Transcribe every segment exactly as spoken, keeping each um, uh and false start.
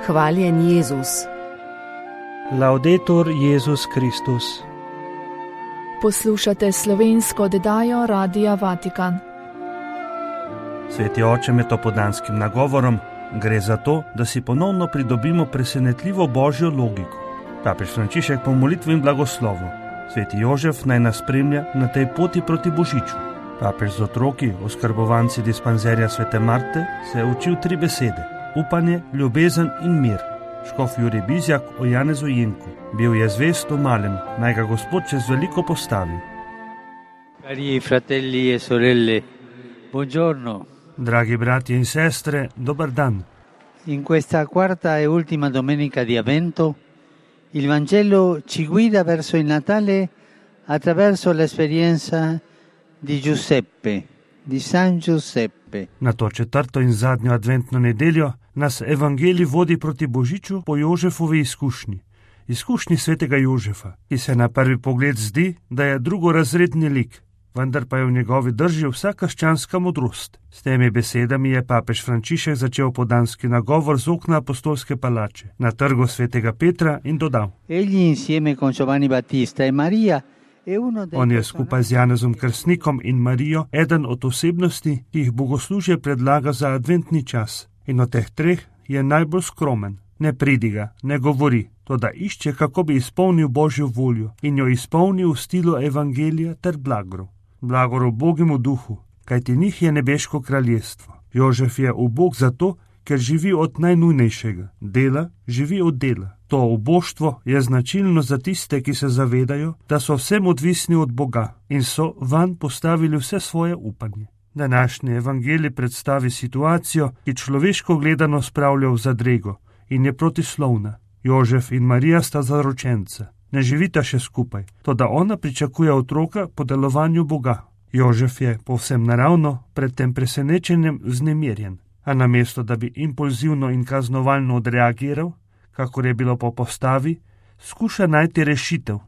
Hvaljen Jezus. Laudetur Jezus Kristus. Poslušate slovensko oddajo Radia Vatikan. Sveti oče, med opoldanskim nagovorom gre za to, da si ponovno pridobimo presenetljivo božjo logiko. Papež Frančišek po molitvi in blagoslovu. Sveti Jožef naj nas spremlja na tej poti proti božiču. Papež z otroki, oskrbovanci dispanzerja svete Marte, se je učil tri besede: upanje, ljubezen in mir. Škof Jurij Bizjak o Janezu Jenku: bil je zvest v malem, naj ga Gospod čez veliko postavi. Cari fratelli e sorelle, buongiorno. Dragi bratje in sestre, dober dan. In questa quarta e ultima domenica di Avvento, il Vangelo ci guida verso il Natale attraverso l'esperienza di Giuseppe, di San Giuseppe. Na to četrto in zadnjo adventno nedeljo nas evangelij vodi proti božiču po Jožefovi izkušnji. Izkušnji svetega Jožefa, ki se na prvi pogled zdi, da je drugorazredni lik, vendar pa je v njegovi drži vsa krščanska modrost. S temi besedami je papež Frančišek začel opoldanski nagovor z okna apostolske palače na trgu svetega Petra in dodal: Egli insieme con Giovanni Battista e Maria. On je skupaj z Janezom Krstnikom in Marijo eden od osebnosti, ki jih bogoslužje predlaga za adventni čas. In od teh treh je najbolj skromen. Ne pridiga, ne govori, toda išče, kako bi izpolnil Božjo voljo in jo izpolnil v stilu evangelija ter blagorov. Blagorov Bogemu duhu, kajti njih je nebeško kraljestvo. Jožef je ubog zato, ker živi od najnujnejšega. Dela, živi od dela. To uboštvo je značilno za tiste, ki se zavedajo, da so vsem odvisni od Boga in so vanj postavili vse svoje upanje. Današnji evangelij predstavi situacijo, ki človeško gledano spravlja v zadrego in je protislovna. Jožef in Marija sta zaročenca. Ne živita še skupaj, toda ona pričakuje otroka po delovanju Boga. Jožef je povsem naravno pred tem presenečenjem vznemirjen, a namesto da bi impulzivno in kaznovalno odreagiral, kakor je bilo po postavi, skuša najti rešitev,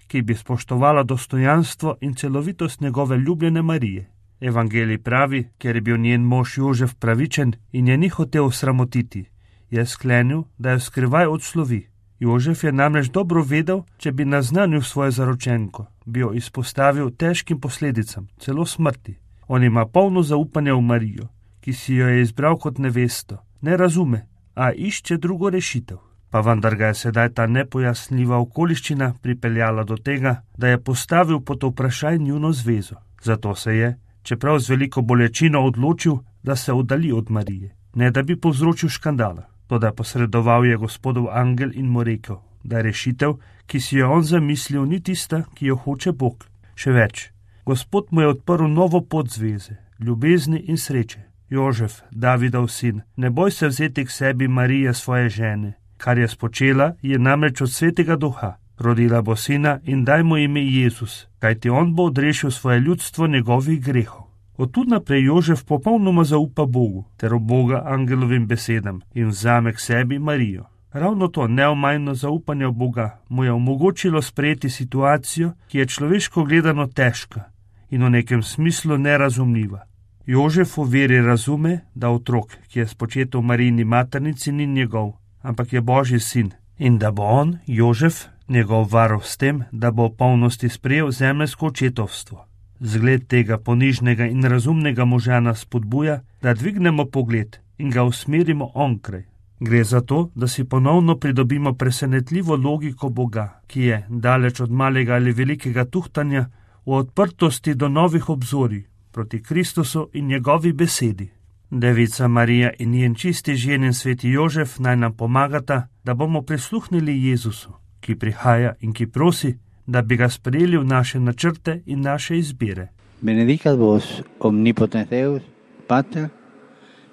ki bi spoštovala dostojanstvo in celovitost njegove ljubljene Marije. Evangelij pravi, ker je bil njen mož Jožef pravičen in je ni hotel sramotiti, je sklenil, da jo skrivaj odslovi. Jožef je namreč dobro vedel, če bi naznanil svojo zaročenko, bi jo izpostavil težkim posledicam, celo smrti. On ima polno zaupanje v Marijo, ki si jo je izbral kot nevesto. Ne razume, a išče drugo rešitev. Pa vendar ga je sedaj ta nepojasnljiva okoliščina pripeljala do tega, da je postavil pod vprašaj njuno zvezo. Zato se je, čeprav z veliko bolečino, odločil, da se oddalji od Marije, ne da bi povzročil škandala. Toda posredoval je Gospodov angel in mu rekel, da rešitev, ki si jo on zamislil, ni tista, ki jo hoče Bog. Še več, Gospod mu je odprl novo pot zveze, ljubezni in sreče. Jožef, Davidov sin, ne boj se vzeti k sebi Marije, svoje žene. Kar je spočela, je namreč od svetega duha. Rodila bo sina in daj mu ime Jezus, kajti on bo odrešil svoje ljudstvo njegovih grehov. Od tu naprej Jožef popolnoma zaupa Bogu ter Boga angelovim besedam in vzame k sebi Marijo. Ravno to neomajno zaupanje v Boga mu je omogočilo sprejeti situacijo, ki je človeško gledano težka in v nekem smislu nerazumljiva. Jožef v veri razume, da otrok, ki je spočet v Marijini maternici, ni njegov, ampak je Božji sin in da bo on, Jožef, njegov varov s tem, da bo v polnosti sprejel zemeljsko očetovstvo. Zgled tega ponižnega in razumnega moža nas spodbuja, da dvignemo pogled in ga usmerimo onkraj. Gre za to, da si ponovno pridobimo presenetljivo logiko Boga, ki je, daleč od malega ali velikega tuhtanja, v odprtosti do novih obzorij proti Kristusu in njegovi besedi. Devica Marija in njen čisti ženin sveti Jožef naj nam pomagata, da bomo prisluhnili Jezusu, ki prihaja in ki prosi, da bi ga sprejeli v naše načrte in naše izbire. Benedicat vos omnipotens Deus, Pater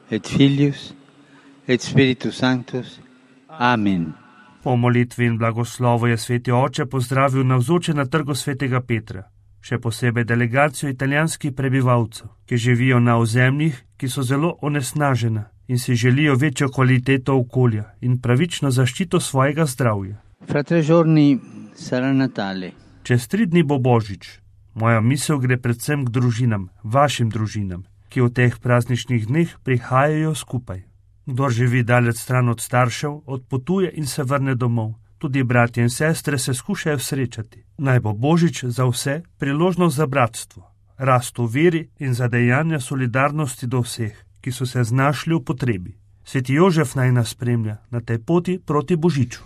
et Filius et Spiritus Sanctus. Amen. Po molitvi in blagoslovu je sveti oče pozdravil navzoče na trgu svetega Petra, še posebej delegacijo italijanskih prebivalcev, ki živijo na ozemljih, ki so zelo onesnažena in si želijo večjo kvaliteto okolja in pravično zaščito svojega zdravja. Fra tre giorni sarà Natale. Čez tri dni bo Božič. Moja misel gre predvsem k družinam, vašim družinam, ki v teh prazničnih dneh prihajajo skupaj. Kdor živi daleč stran od staršev, odpotuje in se vrne domov. Tudi bratje in sestre se skušajo srečati. Naj bo Božič za vse priložnost za bratstvo, rast v veri in za dejanja solidarnosti do vseh, ki so se znašli v potrebi. Sveti Jožef naj nas spremlja na tej poti proti Božiču.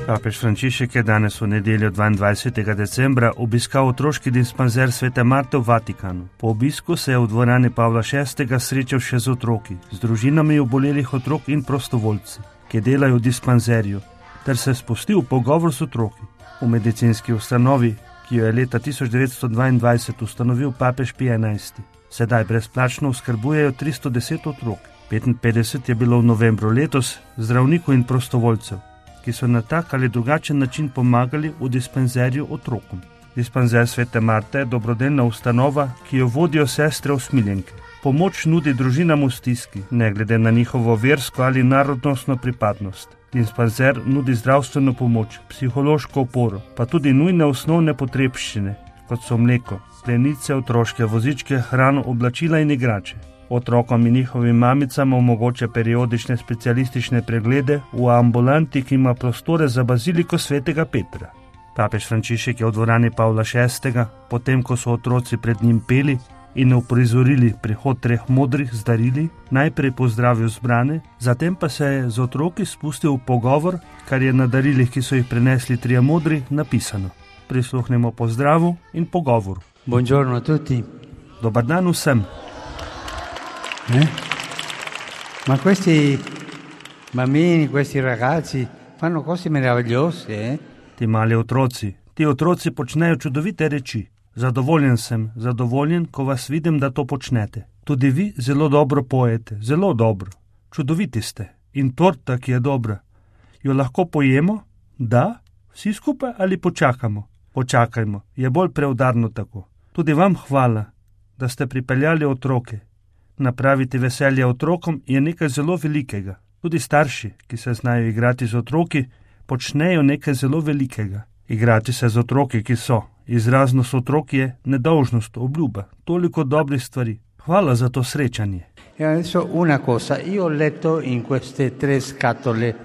Papež Frančišek je danes v nedeljo dvaindvajsetega decembra obiskal otroški dispanzer Svete Marte v Vatikanu. Po obisku se je v dvorani Pavla šestega srečal še z otroki, z družinami obolelih otrok in prostovoljci, ki delajo v dispanzerju, ter se spustil v pogovor s otroki. V medicinski ustanovi, ki jo je leta tisoč devetsto dvaindvajset ustanovil papež Pij enajsti, sedaj brezplačno oskrbujejo tristo deset otrok. petinpetdeset je bilo v novembru letos zdravnikov in prostovoljcev, ki so na tak ali drugačen način pomagali v dispanzerju otrokom. Dispanzer Svete Marte je dobrodelna ustanova, ki jo vodijo sestre usmiljenke. Pomoč nudi družinam v stiski, ne glede na njihovo versko ali narodnostno pripadnost. Dispanzer nudi zdravstveno pomoč, psihološko oporo, pa tudi nujne osnovne potrebščine, kot so mleko, plenice, otroške vozičke, hrano, oblačila in igrače. Otrokom in njihovim mamicam omogoča periodične specialistične preglede v ambulanti, ki ima prostore za baziliko Svetega Petra. Papež Frančišek je v dvorani Pavla šestega, potem ko so otroci pred njim peli in uprizorili prihod treh modrih z darili, najprej pozdravil zbrane, zatem pa se je z otroki spustil v pogovor, kar je na darilih, ki so jih prinesli trije modri, napisano. Prisluhnemo pozdravu in pogovoru. Buongiorno a tutti. Dobar dan vsem. Eh? Ma questi bambini, questi ragazzi fanno cose meravigliose, eh? Ti mali otroci, ti otroci počnejo čudovite reči. Zadovoljen sem, zadovoljen, ko vas vidim, da to počnete. Tudi vi zelo dobro pojete, zelo dobro. Čudoviti ste. In torta, ki je dobra. Jo lahko pojemo? Da? Vsi skupaj ali počakamo? Počakajmo, je bolj preudarno tako. Tudi vam hvala, da ste pripeljali otroke. Napraviti veselje otrokom je nekaj zelo velikega. Tudi starši, ki se znajo igrati z otroki, počnejo nekaj zelo velikega. Igrati se z otroki, ki so. Izraznost otrok je nedolžnost, obljuba, toliko dobrih stvari. Hvala za to srečanje.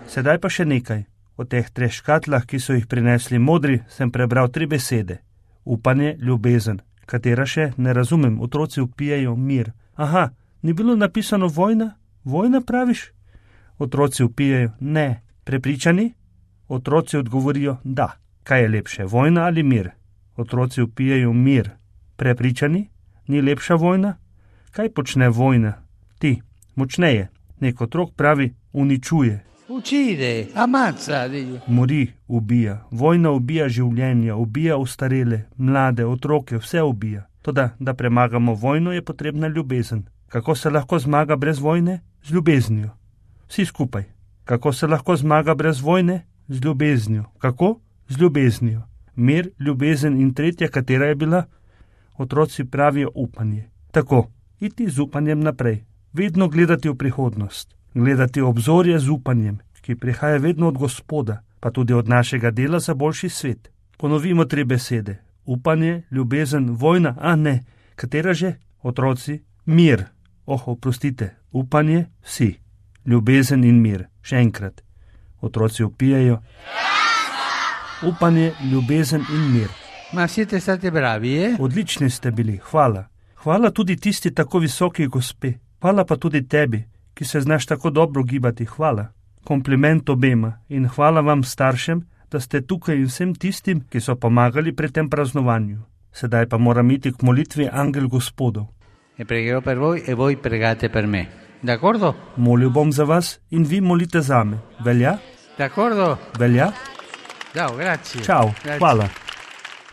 Sedaj pa še nekaj. O teh treh škatlah, ki so jih prinesli modri, sem prebral tri besede. Upanje, ljubezen. Katera še? Ne razumem, otroci vpijejo mir. Aha, ni bilo napisano vojna? Vojna praviš? Otroci vpijejo ne. Prepričani? Otroci odgovorijo da. Kaj je lepše, vojna ali mir? Otroci vpijejo mir. Prepričani? Ni lepša vojna? Kaj počne vojna? Ti, močneje. Nek otrok pravi, uničuje. Uccide, ammazza. Mori, ubija. Vojna ubija življenja, ubija ostarele, mlade, otroke, vse ubija. Toda, da premagamo vojno, je potrebna ljubezen. Kako se lahko zmaga brez vojne? Z ljubeznijo. Vsi skupaj. Kako se lahko zmaga brez vojne? Z ljubeznijo. Kako? Z ljubeznijo. Mir, ljubezen in tretja, katera je bila? Otroci pravijo upanje. Tako, iti z upanjem naprej. Vedno gledati v prihodnost. Gledati obzorje z upanjem, ki prihaja vedno od Gospoda, pa tudi od našega dela za boljši svet. Ponovimo tri besede. Upanje, ljubezen, vojna, a ne. Katera že? Otroci, mir. Oh, oprostite, upanje, vsi. Ljubezen in mir. Še enkrat. Otroci vpijejo. Upanje, ljubezen in mir. Ma siete stati bravi, eh? Odlični ste bili, hvala. Hvala tudi tisti tako visoki gospe. Hvala pa tudi tebi, ki se znaš tako dobro gibati, hvala. Kompliment obema in hvala vam staršem, da ste tukaj in vsem tistim, ki so pomagali pri tem praznovanju. Sedaj pa moram iti k molitvi Angel Gospodov. E pregherò per voi e voi pregate per me. D'accordo? Molil bom za vas in vi molite zame. Velja? D'accordo? Velja? Ciao, grazie. Ciao, grazie. Hvala.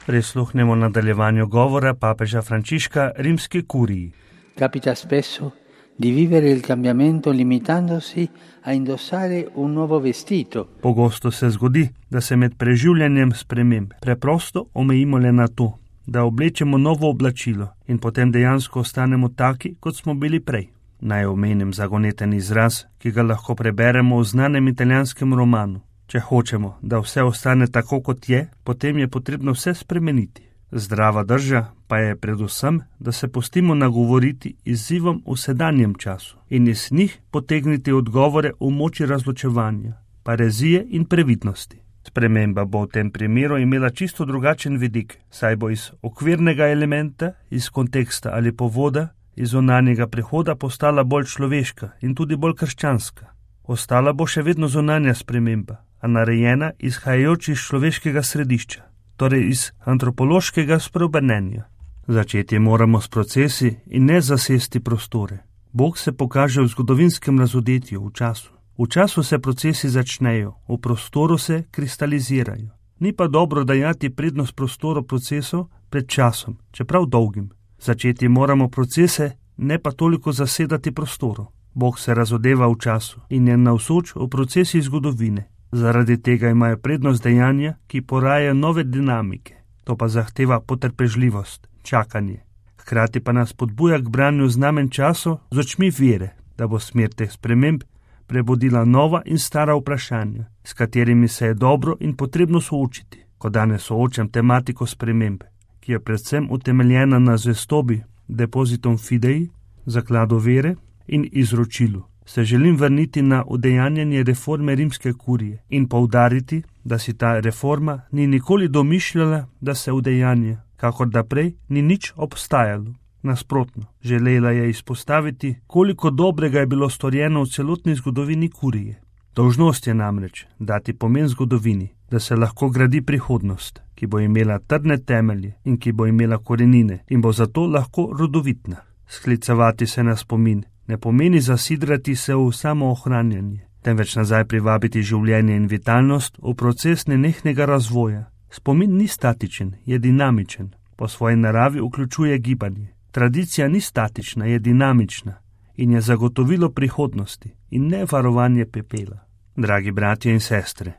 Prisluhnemo nadaljevanju govora papeža Frančiška rimski kuriji. Capita spesso di vivere il cambiamento limitandosi a indossare un nuovo vestito. Pogosto se zgodi, da se med preživljanjem sprememb preprosto omejimo le na to, da oblečemo novo oblačilo in potem dejansko ostanemo taki, kot smo bili prej. Naj omenim zagoneten izraz, ki ga lahko preberemo v znanem italijanskem romanu. Če hočemo, da vse ostane tako, kot je, potem je potrebno vse spremeniti. Zdrava drža pa je predvsem, da se pustimo nagovoriti izzivom v sedanjem času in iz njih potegniti odgovore v moči razločevanja, parezije in previdnosti. Sprememba bo v tem primeru imela čisto drugačen vidik, saj bo iz okvirnega elementa, iz konteksta ali povoda, iz zunanjega prehoda postala bolj človeška in tudi bolj krščanska. Ostala bo še vedno zunanja sprememba, a narejena izhajajoč iz človeškega središča, torej iz antropološkega spreobrnenja. Začeti moramo s procesi in ne zasesti prostore. Bog se pokaže v zgodovinskem razodetju, v času. V času se procesi začnejo, v prostoru se kristalizirajo. Ni pa dobro dajati prednost prostoru procesov pred časom, čeprav dolgim. Začeti moramo procese, ne pa toliko zasedati prostoru. Bog se razodeva v času in je navzoč v procesih zgodovine. Zaradi tega imajo prednost dejanja, ki porajajo nove dinamike. To pa zahteva potrpežljivost, čakanje. Hkrati pa nas podbuja k branju znamen času z očmi vere, da bo smer teh sprememb prebudila nova in stara vprašanja, s katerimi se je dobro in potrebno soočiti. Ko danes soočam tematiko spremembe, ki je predvsem utemeljena na zvestobi, depozitom fidei, zakladu vere in izročilu, se želim vrniti na udejanjanje reforme rimske kurije in poudariti, da si ta reforma ni nikoli domišljala, da se udejanja, kakor da prej ni nič obstajalo. Nasprotno, želela je izpostaviti, koliko dobrega je bilo storjeno v celotni zgodovini kurije. Dolžnost je namreč dati pomen zgodovini, da se lahko gradi prihodnost, ki bo imela trdne temelje in ki bo imela korenine in bo zato lahko rodovitna. Sklicevati se na spomin ne pomeni zasidrati se v samoohranjanje, temveč nazaj privabiti življenje in vitalnost v proces nenehnega razvoja. Spomin ni statičen, je dinamičen, po svoji naravi vključuje gibanje. Tradicija ni statična, je dinamična in je zagotovilo prihodnosti in ne varovanje pepela. Dragi bratje in sestre,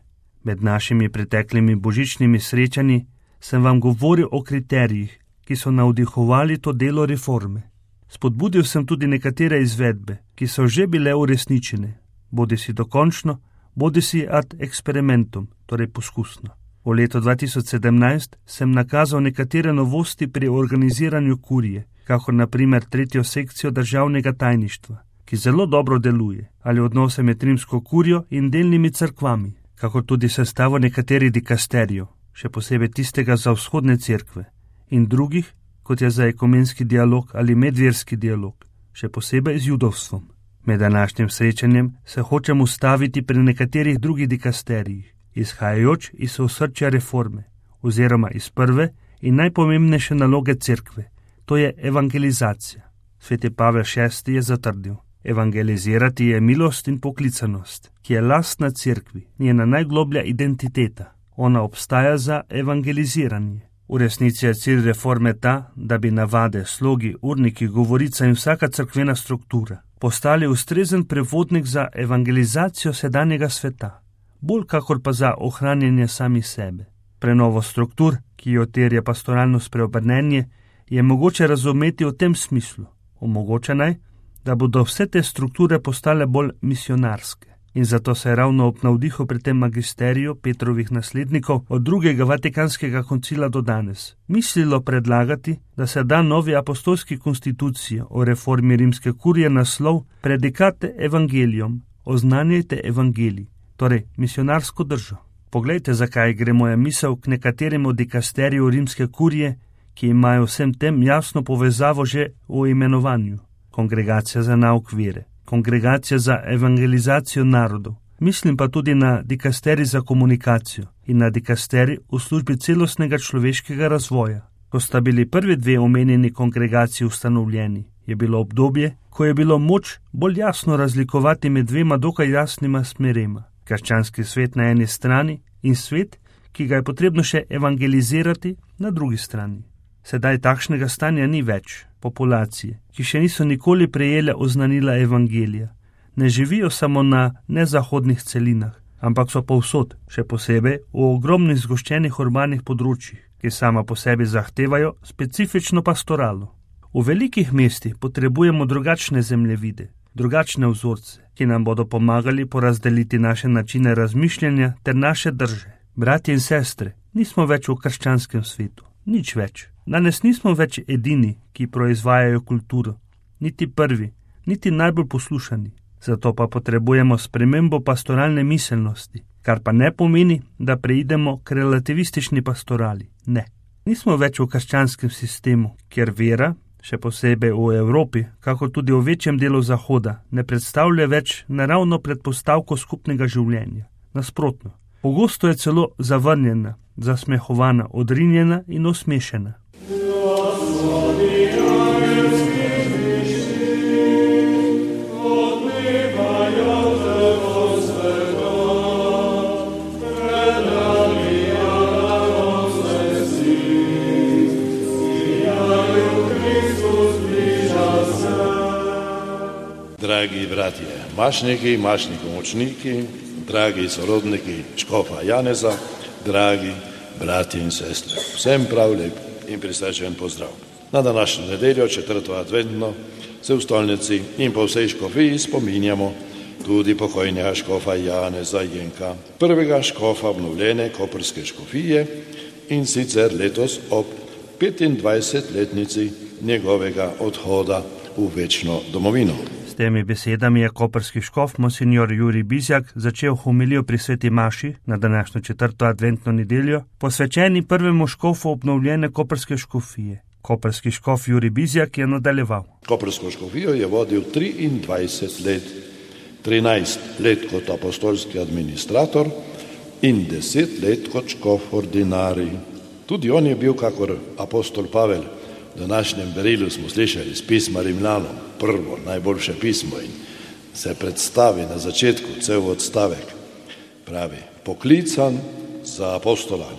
med našimi preteklimi božičnimi srečanji sem vam govoril o kriterijih, ki so navdihovali to delo reforme. Spodbudil sem tudi nekatere izvedbe, ki so že bile uresničene, bodi si dokončno, bodi si ad experimentum, torej poskusno. V letu dva tisoč sedemnajst sem nakazal nekatere novosti pri organiziranju kurije, kakor na primer tretjo sekcijo državnega tajništva, ki zelo dobro deluje, ali odnose med rimsko kurijo in delnimi cerkvami, kakor tudi sestavo nekaterih dikasterijev, še posebej tistega za vzhodne cerkve, in drugih, kot je za ekumenski dialog ali medverski dialog, še posebej z judovstvom. Med današnjim srečanjem se hočem ustaviti pri nekaterih drugih dikasterijih, izhajajoč iz osrčja reforme, oziroma iz prve in najpomembnejše naloge cerkve, to je evangelizacija. Sveti Pavel šesti je zatrdil: evangelizirati je milost in poklicanost, ki je lastna cerkvi, njena najgloblja identiteta. Ona obstaja za evangeliziranje. V resnici je cilj reforme ta, da bi navade, slogi, urniki, govorica in vsaka cerkvena struktura postali ustrezen prevodnik za evangelizacijo sedanjega sveta, bolj kakor pa za ohranjanje samih sebe. Prenovo struktur, ki jo terja pastoralno spreobrnenje, je mogoče razumeti v tem smislu. Omogoča naj, da bodo vse te strukture postale bolj misionarske. In zato se je ravno ob navdihu pri tem magisteriju Petrovih naslednikov od drugega Vatikanskega koncila do danes mislilo predlagati, da se da novi apostolski konstituciji o reformi rimske kurije naslov Predicate Evangelium, oznanjajte evangelij, torej misionarsko držo. Poglejte, zakaj gre moja misel k nekaterim od dikasteriju rimske kurije, ki imajo vsem tem jasno povezavo že v imenovanju. Kongregacija za nauk vere, kongregacija za evangelizacijo narodov. Mislim pa tudi na dikasteri za komunikacijo in na dikasteri v službi celostnega človeškega razvoja. Ko sta bili prvi dve omenjeni kongregaciji ustanovljeni, je bilo obdobje, ko je bilo moč bolj jasno razlikovati med dvema dokaj jasnima smerema. Krščanski svet na eni strani in svet, ki ga je potrebno še evangelizirati, na drugi strani. Sedaj takšnega stanja ni več. Populacije, ki še niso nikoli prejele oznanila evangelija, ne živijo samo na nezahodnih celinah, ampak so povsod, še posebej v ogromnih zgoščenih urbanih področjih, ki sama po sebi zahtevajo specifično pastoralo. V velikih mestih potrebujemo drugačne zemljevide, drugačne vzorce, ki nam bodo pomagali porazdeliti naše načine razmišljanja ter naše drže. Bratje in sestre, nismo več v krščanskem svetu. Nič več. Danes nismo več edini, ki proizvajajo kulturo. Niti prvi, niti najbolj poslušani. Zato pa potrebujemo spremembo pastoralne miselnosti, kar pa ne pomeni, da preidemo k relativistični pastorali. Ne. Nismo več v krščanskem sistemu, kjer vera, še posebej v Evropi, kako tudi v večjem delu Zahoda, ne predstavlja več naravno predpostavko skupnega življenja. Nasprotno. Pogosto je celo zavrnjena, zasmehovana, odrinjena in osmešena. Dragi bratje, mašniki, mašni pomočniki, dragi sorodniki škofa Janeza, dragi bratje in sestre, vsem prav lep in prisrčen pozdrav. Na današnjo nedeljo, četrto adventno, se v stolnici in po vsej škofiji spominjamo tudi pokojnega škofa Janeza Jenka, prvega škofa obnovljene koprske škofije, in sicer letos ob petindvajsetletnici njegovega odhoda v večno domovino. S temi besedami je koprski škof monsignor Jurij Bizjak začel homilijo pri sveti maši na današnjo četrto adventno nedeljo, posvečeni prvemu škofu obnovljene koprske škofije. Koprski škof Jurij Bizjak je nadaljeval. Koprsko škofijo je vodil triindvajset let, trinajst let kot apostolski administrator in deset let kot škof ordinarij. Tudi on je bil kakor apostol Pavel. V današnjem berilu smo slišali iz pisma Rimljanom, prvo, najboljše pismo, in se predstavi na začetku cel odstavek. Pravi, poklican za apostola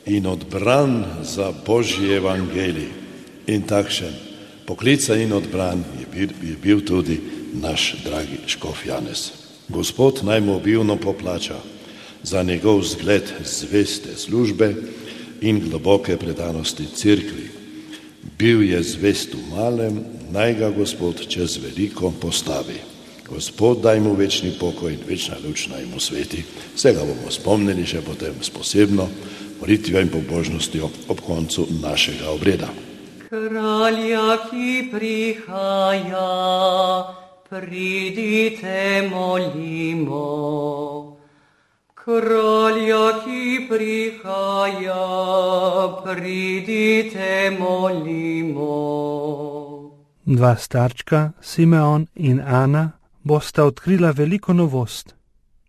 in odbran za Božji evangelij. In takšen poklican in odbran je bil, je bil tudi naš dragi škof Janez. Gospod naj mu obilno poplača za njegov zgled zveste službe in globoke predanosti cerkvi. Bil je zvest v malem, naj ga Gospod čez veliko postavi. Gospod daj mu večni pokoj in večna luč naj mu sveti. Vsega bomo spomnili še potem s posebno molitvijo in pobožnostjo ob koncu našega obreda. Kralja, ki prihaja, pridite molimo. Kralja, ki prihaja, pridite molimo. Dva starčka, Simeon in Ana, bosta odkrila veliko novost.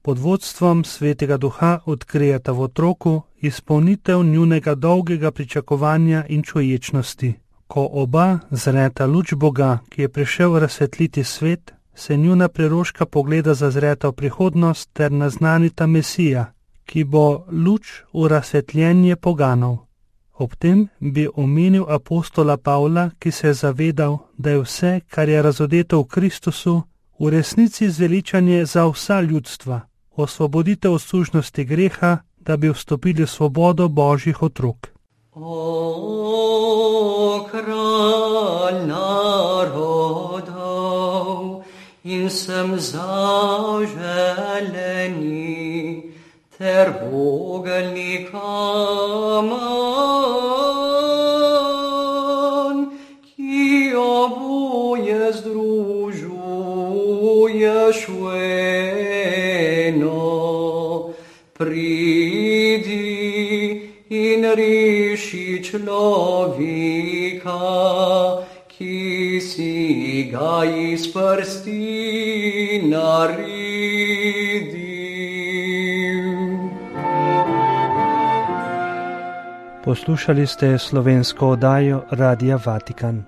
Pod vodstvom Svetega Duha odkrijeta v otroku izpolnitev njunega dolgega pričakovanja in čuječnosti. Ko oba zreta luč Boga, ki je prišel razsvetliti svet, se njuna preroška pogleda zazreta v prihodnost ter naznanita Mesija, ki bo luč v razsvetljenje poganov. Ob tem bi omenil apostola Pavla, ki se je zavedal, da je vse, kar je razodeto v Kristusu, v resnici zveličanje za vsa ljudstva, osvoboditev od sužnosti greha, da bi vstopili v svobodo Božjih otrok. O, kralj narodov, in sem zaželeni, ter vogelnik Aman, ki oboje združuješ v eno. Pridi in reši človeka, ki si ga iz prsti naredim. Poslušali ste slovensko oddajo Radia Vatikan.